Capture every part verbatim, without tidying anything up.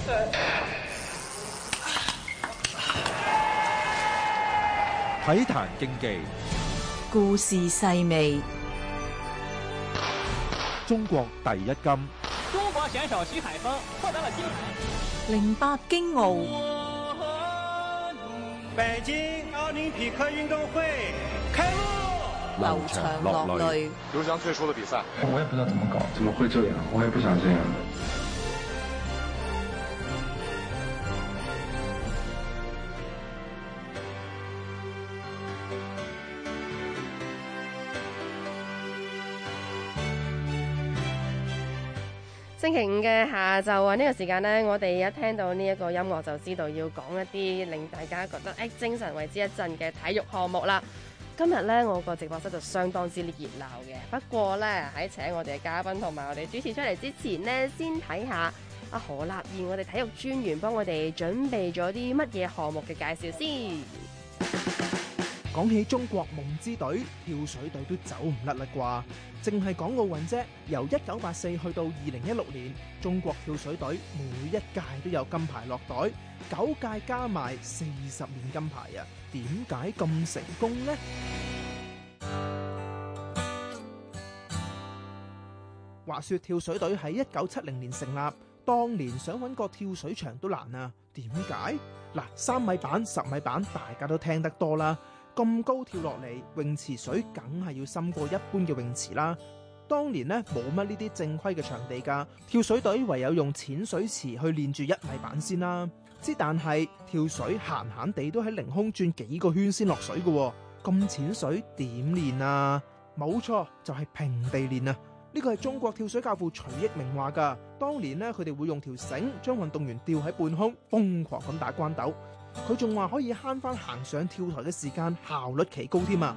體壇競技，故事細微。中國第一金。中國選手徐海峰獲得了金牌。零八京奧。北京奧林匹克運動會開幕。流場落淚。劉翔退出了比賽。我也不知道怎麼搞，怎麼會這樣？我也不想這樣。星期五嘅下晝啊，呢個時間呢，我哋一聽到呢一個音樂就知道要講一啲令大家覺得誒精神為之一振嘅體育項目啦。今日呢，我個直播室就相當之熱鬧嘅。不過呢，喺請我哋嘅嘉賓同埋我哋主持出嚟之前呢，先睇下阿何立彥，我哋體育專員幫我哋準備咗啲乜嘢項目嘅介紹先。講起中國夢之隊，跳水隊都走唔甩啦啩，淨係講奧運啫。由一九八四去到二零一六年，中國跳水隊每一屆都有金牌落袋，九屆加埋四十面金牌啊！點解咁成功呢？話說跳水隊喺一九七零年成立，當年想搵個跳水場都難啊！點解？嗱，三米板、十米板，大家都聽得多啦。咁高跳落嚟，泳池水梗係要深過一般嘅泳池啦。當年呢，冇乜呢啲正規嘅場地㗎，跳水隊唯有用淺水池去練住一米板先啦。之但係跳水閒閒地都喺凌空轉幾個圈先落水㗎，咁淺水點練啊？冇錯，就係平地練啊！呢個係中國跳水教父徐益明話㗎。當年呢，佢哋會用條繩將運動員吊喺半空，瘋狂咁打關鬥。佢仲話可以慳翻行上跳台嘅時間，效率奇高添啊！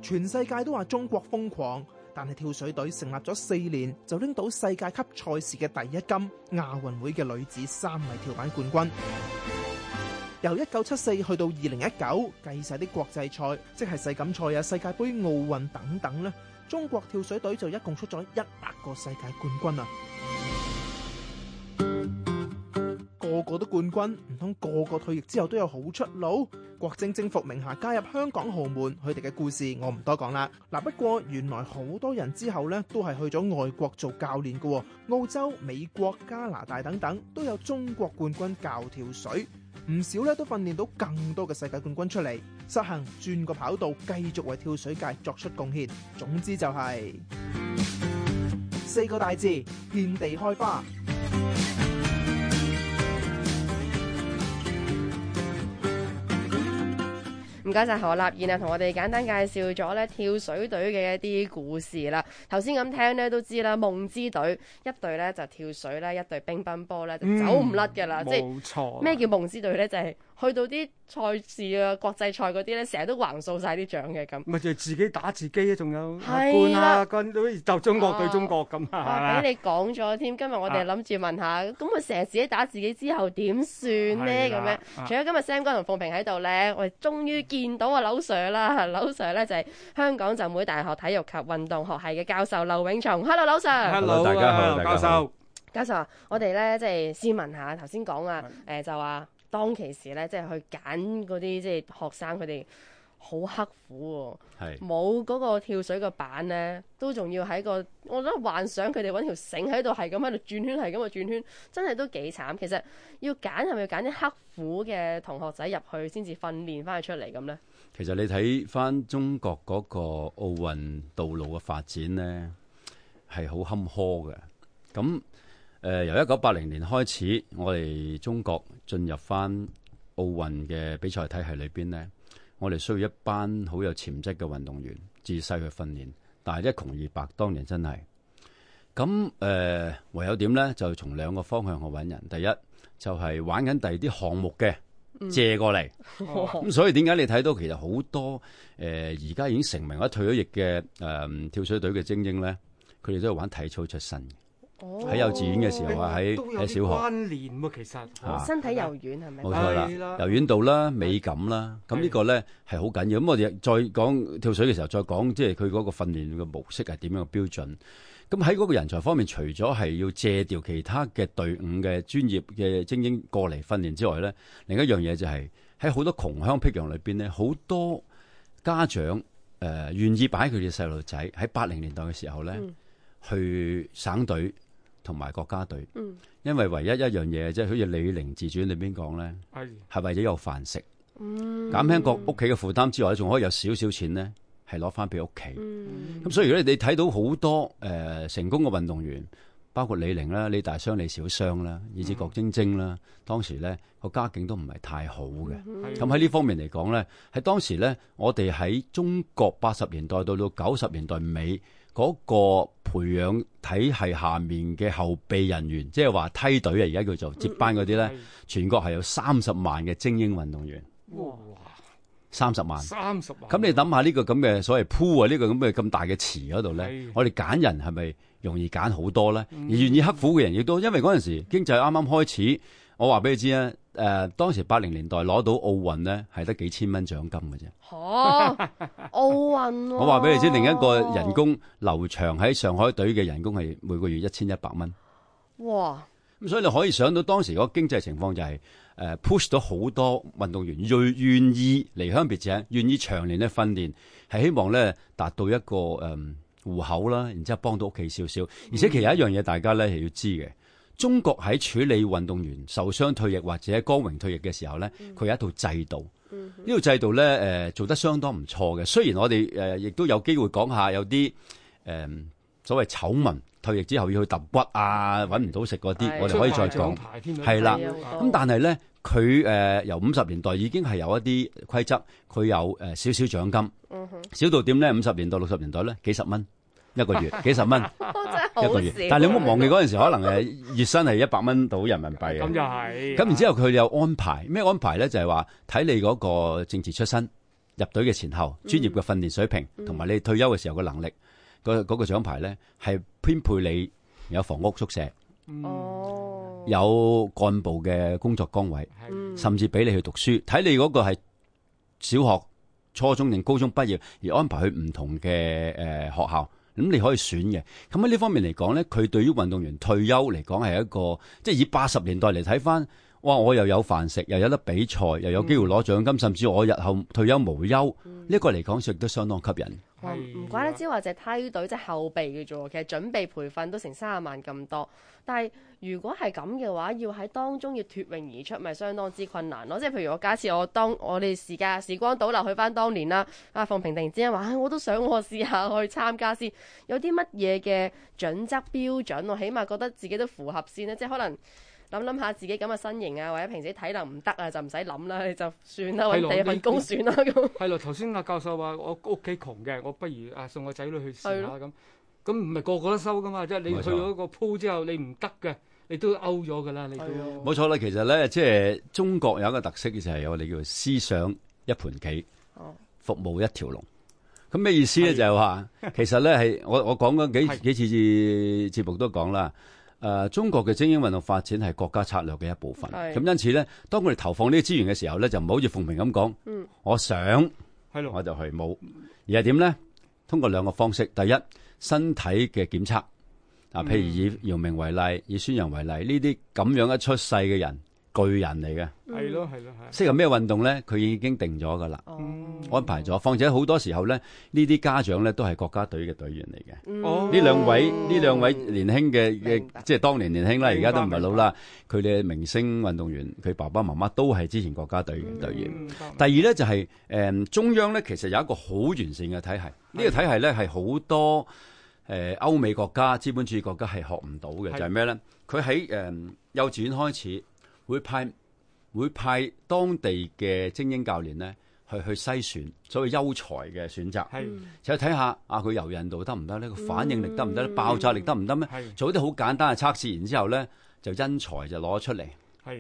全世界都話中國瘋狂，但係跳水隊成立咗四年就拎到世界級賽事嘅第一金，亞運會嘅女子三米跳板冠軍。由一九七四去到二零一九，計晒啲國際賽，即係世錦賽啊、世界盃、奧運等等咧，中國跳水隊就一共出咗一百個世界冠軍啊！個個都冠軍，唔通個個退役之後都有好出路？郭晶晶、伏明霞加入香港豪門，佢哋嘅故事我唔多講啦。嗱，不過原來好多人之後呢都係去咗外國做教練嘅，澳洲、美國、加拿大等等都有中國冠軍教跳水，唔少咧都訓練到更多嘅世界冠軍出嚟，實行轉個跑道，繼續為跳水界作出貢獻。總之就係、是、四個大字：遍地開花。唔該晒何立彥啊，同我哋簡單介紹咗咧跳水隊嘅一啲故事啦。頭先咁聽咧都知啦，夢之隊一隊咧就跳水咧，一隊乒乓波咧就走唔甩㗎啦。即係咩叫夢之隊咧？就係、是、去到啲賽事啊、國際賽嗰啲咧，成日都橫掃晒啲獎嘅咁。咪就係自己打自己啊，仲有冠啊，冠都就中國對中國咁啊。俾你講咗添，今日我哋諗住問下，咁佢成日自己打自己之後點算咧？咁樣，除咗今日 Sam 哥同鳳萍喺度咧，我哋終於見到阿劉 Sir 啦。劉 Sir 咧就係香港浸會大學體育及運動學系嘅教授劉永松。Hello， 劉 Sir。Hello， 大家好，教授。教授啊，我哋咧即係先問下，頭先講啊，誒就話當其時咧，即係去揀嗰啲即係學生，佢哋好刻苦喎，冇嗰個跳水個板咧，都仲要喺個，我覺得幻想佢哋揾條繩喺度，係咁喺度轉圈，係咁啊轉圈，真係都幾慘。其實要揀係咪要揀啲刻苦嘅同學仔入去，先至訓練翻佢出嚟咁咧？其實你睇翻中國嗰個奧運道路嘅發展咧，係好坎坷嘅。咁誒、呃，由一九八零年開始，我哋中國進入翻奧運嘅比賽體系裏邊咧，我哋需要一班好有潛質嘅運動員，自細去訓練。但係一窮二白，當年真係咁誒、呃，唯有點咧？就從兩個方向去揾人。第一就係、是、玩緊第二啲項目嘅。借過嚟，咁、嗯、所以點解你睇到其實好多誒而家已經成名或者退咗役嘅誒、呃、跳水隊嘅精英咧，佢哋都係玩體操出身嘅。喺、哦、幼稚園嘅時候啊，喺喺小學關聯喎，其實、啊、身體柔軟係咪？冇錯啦，柔軟度啦、美感啦，咁呢個咧係好緊要。咁我哋再講跳水嘅時候，再講即係佢嗰個訓練嘅模式係點樣嘅標準。咁喺嗰個人才方面，除咗係要借調其他嘅隊伍嘅專業嘅精英過嚟訓練之外咧，另一樣嘢就係喺好多窮鄉僻壤裏邊咧，好多家長誒願意擺佢哋細路仔喺八零年代嘅時候咧、嗯、去省隊同埋國家隊，嗯、因為唯一一樣嘢即係好似《李寧自傳》裏邊講咧，係、哎、為咗有飯食，嗯、減輕個屋企嘅負擔之外，仲可以有少少錢咧。係攞翻俾屋企，咁、嗯、所以如果你睇到好多誒、呃、成功嘅運動員，包括李寧啦、李大雙、李小雙啦，以至郭晶晶啦，當時咧個家境都唔係太好嘅。咁喺呢方面嚟講咧，喺當時咧，我哋喺中國八十年代到到九十年代尾嗰、那個培養體系下面嘅後備人員，即係話梯隊啊，而家叫做接班嗰啲咧，嗯、全國係有三十萬嘅精英運動員。哇！三十萬，三十萬。咁你諗下呢個咁嘅所謂鋪啊，呢個咁嘅咁大嘅池嗰度咧，我哋揀人係咪容易揀好多咧？嗯、而願意刻苦嘅人亦都，因為嗰陣時經濟啱啱開始，我話俾你知啊，誒、呃，當時八零年代攞到奧運咧，係得幾千蚊獎金嘅啫。嚇、哦，奧運、啊！我話俾你知，另一個人工劉翔喺上海隊嘅人工係每個月一千一百蚊。哇！咁所以你可以想到當時嗰個經濟情況就係、是。誒 push 到好多運動員願願意離鄉別井，願意長年嘅訓練，係希望咧達到一個誒、嗯、戶口啦，然之後幫到屋企少少。而且其實一樣嘢大家咧係要知嘅，中國喺處理運動員受傷退役或者光榮退役嘅時候咧，佢有一套制度。呢、嗯、套制度咧誒、呃、做得相當唔錯嘅。雖然我哋誒亦都有機會講下有啲誒、呃、所謂醜聞。退役之後要去揼骨啊，揾唔到食嗰啲，我哋可以再講。係啦，咁但係咧，佢誒、呃、由五十年代已經係有一啲規則，佢有誒、呃、少少獎金，嗯、少到點咧？五十年代、六十年代咧，幾十蚊一個月，幾十蚊一個月。但係你唔好忘記嗰陣時，可能誒月薪係一百蚊到人民幣嘅。咁就係。咁然之後佢有安排咩安排咧？就係話睇你嗰個政治出身、入隊嘅前後、專業嘅訓練水平，同、嗯、埋你退休嘅時候嘅能力。嗰、那個獎牌咧係編配你有房屋宿舍，哦、嗯，有幹部嘅工作崗位，嗯、甚至俾你去讀書。睇你嗰個係小學、初中定高中畢業，而安排去唔同嘅誒、呃、學校，咁你可以選嘅。咁喺呢方面嚟講咧，佢對於運動員退休嚟講係一個，即係以八十年代嚟睇翻，哇！我又有飯食，又有得比賽，又有機會攞獎金，嗯、甚至我日後退休無憂，呢、嗯、一、這個嚟講亦都相當吸引。唔怪得之話就係梯隊即係後備嘅啫喎，其實準備培訓都成三十萬咁多。但係如果係咁嘅話，要喺當中要脫穎而出，咪相當之困難咯。即係譬如我假設我當我哋時間時光倒流去翻當年啦，啊馮平突然之間話、哎，我都想我試下去參加先，有啲乜嘢嘅準則標準，我起碼覺得自己都符合先咧。即係可能。諗諗下自己咁嘅身形啊，或者平時體能唔得啊，就唔使諗啦，你就算啦，揾第二份工算啦咁。係咯，頭先阿教授話我屋企窮嘅，我不如啊送個仔女去試下咁。咁唔係個個都收噶嘛，即係你去咗個鋪之後，你唔得嘅，你都 out 咗噶啦，你都。冇錯啦，其實咧，即係中國有一個特色就係我哋叫做思想一盤棋，哦、服務一條龍。咁咩意思咧？就係話，其實咧係我我講咗幾幾次節目都講啦。誒、呃，中國嘅精英運動發展係國家策略嘅一部分。咁因此咧，當我哋投放呢啲資源嘅時候咧，就唔好似馮平咁講，嗯，我想，係咯，我就去冇，而係點咧？通過兩個方式，第一，身體嘅檢測，啊，譬如以姚明為例，以孫楊為例，呢啲咁樣一出世嘅人，巨人嚟嘅，係咯係咯係。適合咩運動咧？佢已經定咗噶啦，安排咗。況且好多時候咧，呢啲家長咧都係國家隊嘅隊員嚟嘅。哦，呢兩位呢兩位年輕嘅嘅，即係當年年輕啦，而家都唔係老啦。佢哋明星運動員，佢爸爸媽媽都係之前國家隊嘅隊員。嗯、第二咧就係、是、誒、呃、中央咧，其實有一個好完善嘅體系。呢、這個體系咧係好多誒、呃、歐美國家、資本主義國家係學唔到嘅，就係咩咧？佢喺誒幼稚園開始。會派會派當地嘅精英教練咧，去去篩選所謂優才嘅選擇，就睇下啊佢柔韌度得唔得咧，個反應力得唔得咧，爆炸力得唔得咩？做啲好簡單嘅測試，然之後咧就因材就攞出嚟，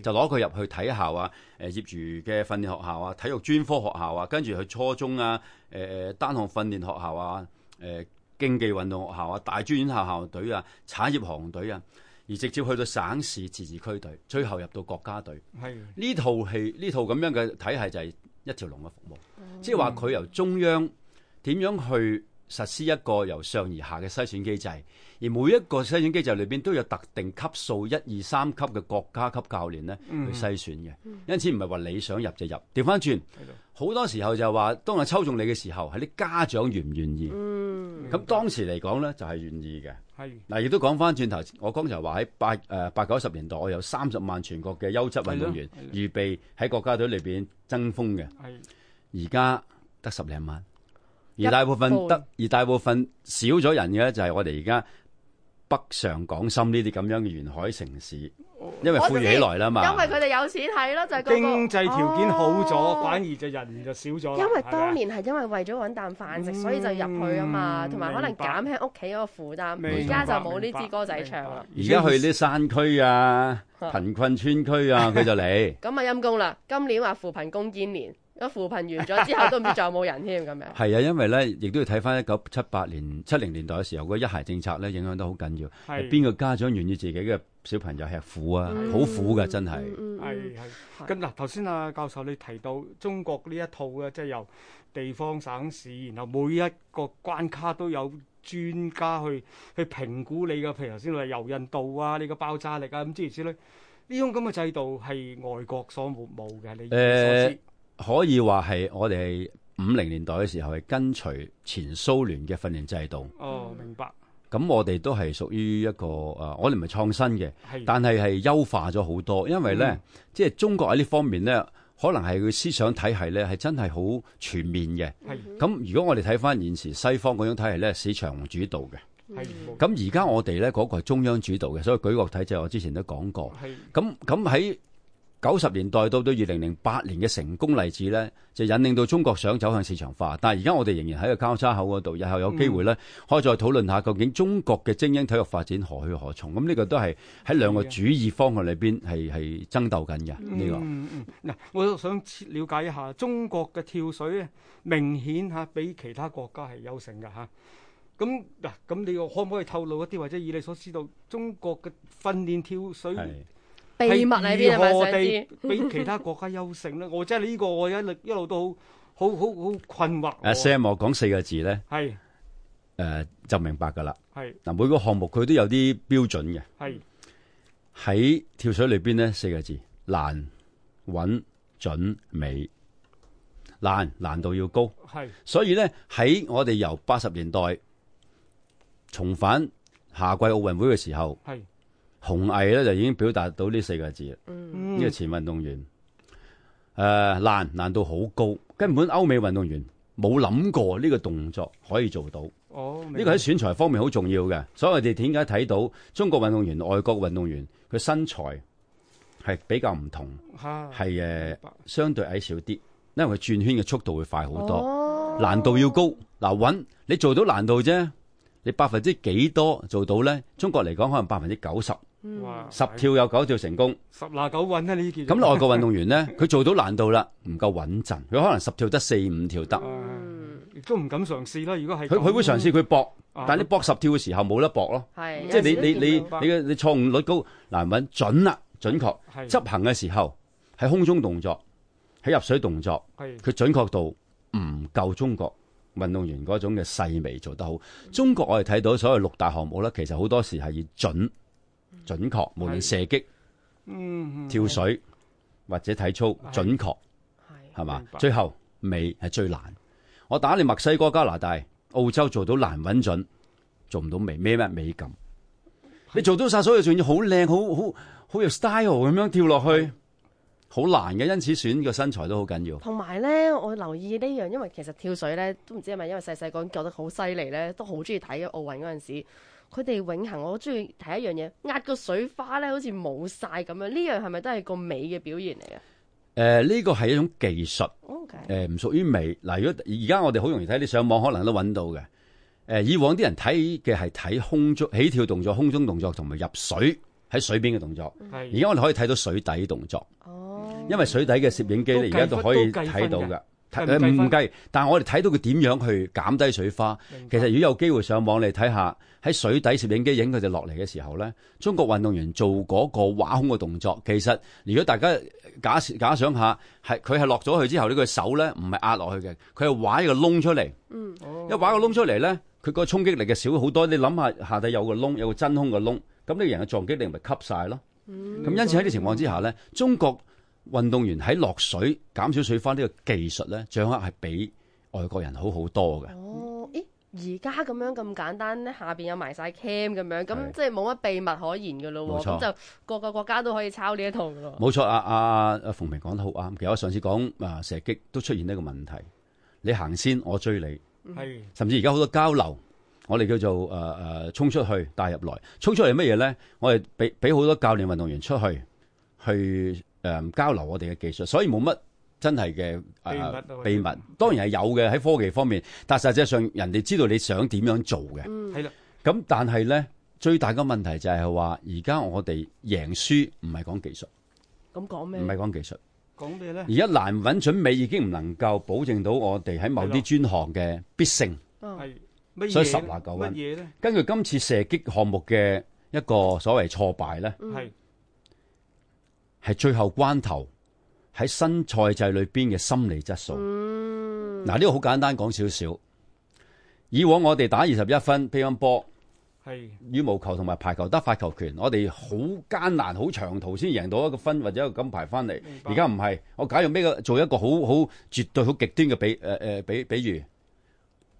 就攞佢入去體校啊，誒業餘嘅訓練學校啊，體育專科學校啊，跟住去初中啊，誒誒單項訓練學校啊，誒競技運動學校啊，大專院校校隊啊，產業行隊啊。而直接去到省市自治區隊，最後入到國家隊。係呢套係呢套咁樣嘅體系就係一條龍嘅服務，即係話佢由中央點樣去實施一個由上而下嘅篩選機制，而每一個篩選機制裏邊都有特定級數一二三級嘅國家級教練咧去篩選嘅，嗯、因此唔係話你想入就入。調翻轉，好多時候就係話，當我抽中你嘅時候，係啲家長願唔願意？咁、嗯、當時嚟講咧，就係、是、願意嘅。嗱，亦都講翻轉頭，我剛才話喺八誒八九十年代，我有三十萬全國嘅優質運動員預備喺國家隊裏邊爭鋒嘅，而家得十零萬，而大部分得，而大部分少咗人嘅就係我哋而家北上廣深呢啲咁樣嘅沿海城市。因為富裕起來啦嘛，因為佢哋有錢係咯，就係、是、嗰、那個經濟條件好咗，哦、反而就人就少咗。因為當年係因為為咗揾啖飯食，所以就入去啊嘛，同埋、嗯、可能減輕屋企嗰個負擔。而家就冇呢支歌仔唱啦。而家去啲山區啊、貧困村區啊，佢就嚟。咁啊陰公啦！今年話扶貧攻堅年。個扶貧完咗之後都唔知仲有冇人添咁樣。係啊，因為咧，亦都要睇翻一九七八年、七零年代嘅時候，嗰一孩政策咧影響得好緊要。係邊個家長願意自己嘅小朋友吃苦啊？好、嗯、苦㗎，真係。係係。咁嗱，頭先啊教授你提到中國呢一套嘅，即係由地方省市，然後每一個關卡都有專家去去評估你嘅，譬如頭先話柔韌度啊、你嘅爆炸力啊咁諸如此類。呢種咁嘅制度係外國所冇冇嘅，你所知。呃可以話係我哋五零年代嘅時候係跟隨前蘇聯嘅訓練制度。哦，明白。咁我哋都係屬於一個誒、呃，我哋唔係創新嘅，但係係優化咗好多。因為咧，嗯、即係中國喺呢方面咧，可能係佢思想體系咧係真係好全面嘅。咁如果我哋睇翻現時西方嗰種體系咧，市場主導嘅。咁而家我哋咧嗰個係中央主導嘅，所以舉國體制我之前都講過。咁咁喺九十年代到到二零零八年嘅成功例子咧，就引領到中國想走向市場化。但係而家我哋仍然喺個交叉口嗰度，日後有機會咧，可以再討論下究竟中國嘅精英體育發展何去何從。咁呢個都係喺兩個主義方向裏邊係係爭鬥緊嘅呢個。嗯嗯，嗱，我想了解一下中國嘅跳水咧，明顯嚇比其他國家係優勝嘅嚇。咁嗱，咁你可唔可以透露一啲，或者以你所知道中國嘅訓練跳水秘密喺邊啊？係如何地比其他國家優勝咧？我真係呢個我一路一路都好好好好困惑。阿 Sam 我講四個字咧，係誒、呃、就明白㗎啦。係嗱，每個項目佢都有啲標準嘅。係喺跳水裏邊咧，四個字：難、穩、準、美。難，難度要高。係，所以咧喺我哋由八十年代重返夏季奧運會嘅時候，係。紅毅咧就已經表達到呢四個字啦。嗯，呢個前運動員誒、呃、難難度好高，根本歐美運動員冇諗過呢個動作可以做到。哦，呢個喺選材方面好重要嘅。所以我哋點解睇到中國運動員、外國運動員佢身材係比較唔同，係誒、呃、相對矮小啲，因為佢轉圈嘅速度會快好多。哦，難度要高。嗱，穩你做到難度啫，你百分之幾多做到咧？中國嚟講可能百分之九十。哇！十跳有九跳成功，十拿九穩啊！呢啲咁外國運動員咧，佢做到難度啦，唔夠穩陣，佢可能十跳得四五跳得，亦都唔敢嘗試啦。如果係佢，佢會嘗試佢搏，但係你搏十跳嘅時候冇得搏咯。係，即係你你你你嘅你錯誤率高，難穩準啦，準確執行嘅時候喺空中動作，喺入水動作，佢準確度唔夠中國運動員嗰種嘅細微做得好。中國我哋睇到所有六大項目咧，其實好多時係以準。準確，無論射擊、嗯、跳水或者體操，準確係嘛？最後美係最難。我打你墨西哥、加拿大、澳洲做到難穩準，做唔到美咩咩美感。你做到晒所有，仲要好靚、好好好有 style 咁樣跳落去，好難嘅。因此選個身材都好緊要。同埋咧，我留意呢樣，因為其實跳水咧都唔知係咪因為細細個覺得好犀利咧，都好中意睇奧運嗰陣時。佢哋永恆，我好中意睇一樣嘢，壓個水花咧，好似冇晒咁樣。呢樣係咪都係個美嘅表現嚟啊？誒、呃，呢個係一種技術，誒、okay. 唔屬於美。嗱，如果而家我哋好容易睇，你上網可能都揾到嘅。誒、呃，以往啲人睇嘅係睇空中起跳動作、空中動作同埋入水喺水邊嘅動作。而、嗯、家我哋可以睇到水底動作。哦，因為水底嘅攝影機咧，而家都可以睇到㗎。唔計，但係我哋睇到佢點樣去減低水花。其實如果有機會上網你睇下，喺水底攝影機影佢哋落嚟嘅時候咧，中國運動員做嗰個挖空嘅動作，其實如果大家假假想下，係佢係落咗去之後呢，佢手咧唔係壓落去嘅，佢係挖一個窿出嚟。嗯，一挖個窿出嚟咧，佢個衝擊力嘅少好多。你諗下下底有個窿，有個真空嘅窿，咁呢個人嘅撞擊力咪吸晒咯。咁、嗯、因此喺呢個情況之下咧，中國運動員喺落水減少水花呢個技術咧，掌握係比外國人好好多嘅。哦，咦，而家咁樣咁簡單咧，下邊有埋晒 cam 咁樣，咁即係冇乜秘密可言嘅咯喎。咁就各個國家都可以抄呢一套嘅咯。冇錯，阿阿阿馮平講得好啱。其實我上次講啊射擊都出現呢個問題，你行先，我追你，係、嗯、甚至而家好多交流，我哋叫做誒誒、呃、衝出去帶入來，衝出嚟乜嘢咧？我哋俾俾好多教練運動員出去去誒、呃、交流我哋嘅技術，所以冇乜真係嘅、呃、秘密。秘密當然係有嘅喺科技方面，但實際上人哋知道你想點樣做嘅。係啦，咁但係咧最大嘅問題就係話，而家我哋贏輸唔係講技術，咁講咩？唔係講技術，講咩咧？而家難穩準美已經唔能夠保證到我哋喺某啲專項嘅必勝。係。所以十拿九穩。根據今次射擊項目嘅一個所謂挫敗咧，係、嗯、係最後關頭喺新賽制裏邊嘅心理質素。嗱、嗯，呢、這個好簡單講少少。以往我哋打二十一分乒乓波、係羽毛球同埋排球得發球權，我哋好艱難、好長途先贏到一個分或者一個金牌翻嚟。而家唔係，我假如咩個做一個好好絕對好極端嘅比誒誒、呃、比比喻，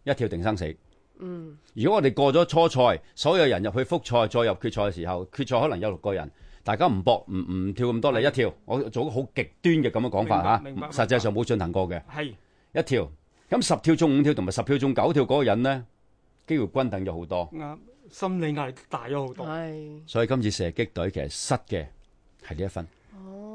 一跳定生死。嗯，如果我哋過咗初賽，所有人入去複賽，再入決賽嘅時候，決賽可能有六個人，大家唔搏，唔唔跳咁多，你一跳，我做個好極端嘅咁嘅講法吓，實際上冇進行過嘅，係一跳，咁十跳中五跳同埋十跳中九跳嗰個人咧，機會均等咗好多，啱，心理壓力大咗好多，係，所以今次射擊隊其實失嘅係呢一分。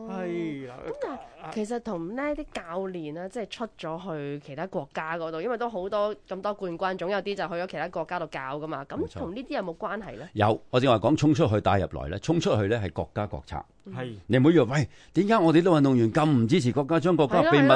係啦，咁但係其實同呢啲教練咧，即係出咗去其他國家嗰度，因為都好多咁多冠軍，總有啲就去咗其他國家度教噶嘛。咁同呢啲有冇關係咧？有，我正話講衝出去帶入來咧，衝出去咧係國家國策。係、嗯，你唔好以為喂，點解我哋啲運動員咁唔支持國家，將國家秘密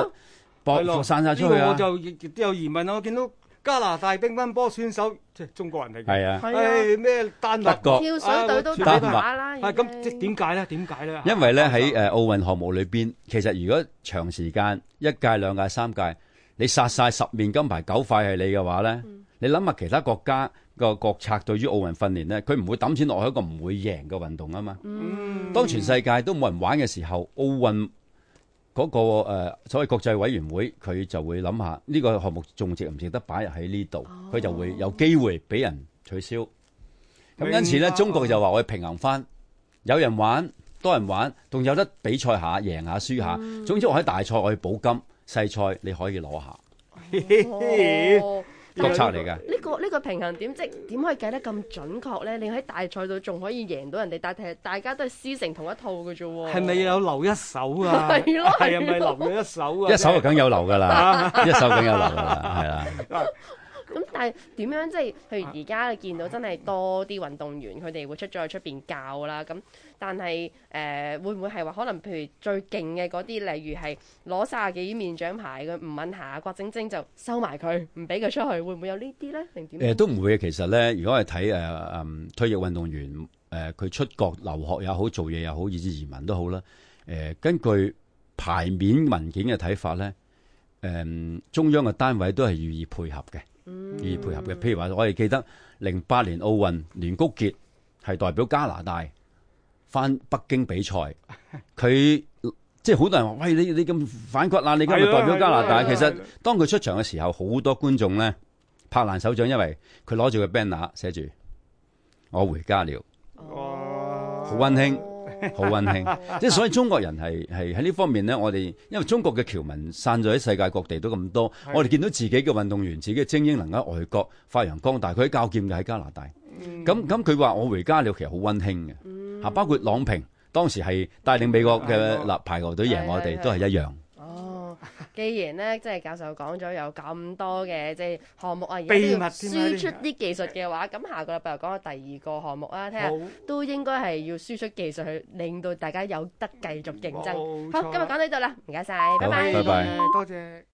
播散晒出去啊？呢個我就亦都有疑問啊！我見到加拿大乒乓波選手即係中國人嚟嘅，係啊，係咩丹麥國跳水隊都打啦，係咁即係點解咧？點解咧？因為咧喺誒奧運項目裏邊，其實如果長時間一屆、兩屆、三屆，你殺晒十面金牌九塊係你嘅話咧，嗯、你諗下其他國家個國策對於奧運訓練咧，佢唔會抌錢落去一個唔會贏嘅運動啊嘛。嗯、當全世界都冇人玩嘅時候，奧運嗰、那個誒、呃、所謂國際委員會，佢就會諗下呢個項目仲值唔值得擺入喺呢度，佢、哦、就會有機會俾人取消。咁因此咧，中國就話我要平衡翻，有人玩，多人玩，仲有得比賽下，贏下輸下。嗯、總之我喺大賽我去補金，細賽你可以攞下。哦國策嚟㗎，呢、這個呢、這個平衡點即係點可以計得咁準確咧？你喺大賽度仲可以贏到人哋，但係大家都係師承同一套嘅啫喎。係咪有留一手啊？係咯，係咪留咗一手啊？一手就梗有留㗎啦，一手梗有留㗎啦，係啦。咁但係點樣即係？譬如而家你見到真係多啲運動員，佢哋會出咗去出邊教啦。咁但係誒、呃、會唔會係話可能譬如最勁嘅嗰啲，例如係攞三十幾面獎牌嘅吳敏霞、郭晶晶就收埋佢，唔俾佢出去，會唔會有呢啲咧？定點？誒、呃、都唔會嘅。其實咧，如果係睇誒誒退役運動員誒，佢、呃、出國留學也好，做嘢又好，以至移民都好啦。誒、呃、根據牌面文件嘅睇法咧，誒、呃、中央嘅單位都係予以配合嘅。予以配合嘅，譬如話我哋記得零八年奧運，連谷傑係代表加拿大翻北京比賽，佢即係好多人話：喂，你你咁反骨啊！你今日代表加拿大，其實當佢出場嘅時候，好多觀眾咧拍爛手掌，因為佢攞住個 banner 寫住我回家了，好溫馨。好溫馨，即係所以中國人係係喺呢方面咧，我哋因為中國嘅僑民散咗喺世界各地都咁多，我哋見到自己嘅運動員、自己嘅精英能喺外國發揚光大，佢喺教劍嘅喺加拿大，咁咁佢話我回家了，其實好溫馨嘅，吓、嗯、包括郎平當時係帶領美國嘅立排球隊贏我哋，都係一樣。既然咧，即係教授講咗有咁多嘅即係項目啊，而家都要輸出啲技術嘅話，咁下個禮拜又講下第二個項目啦，睇下都應該係要輸出技術去令到大家有得繼續競爭。好，今日講到呢度啦，唔該晒，拜拜，拜拜，多謝。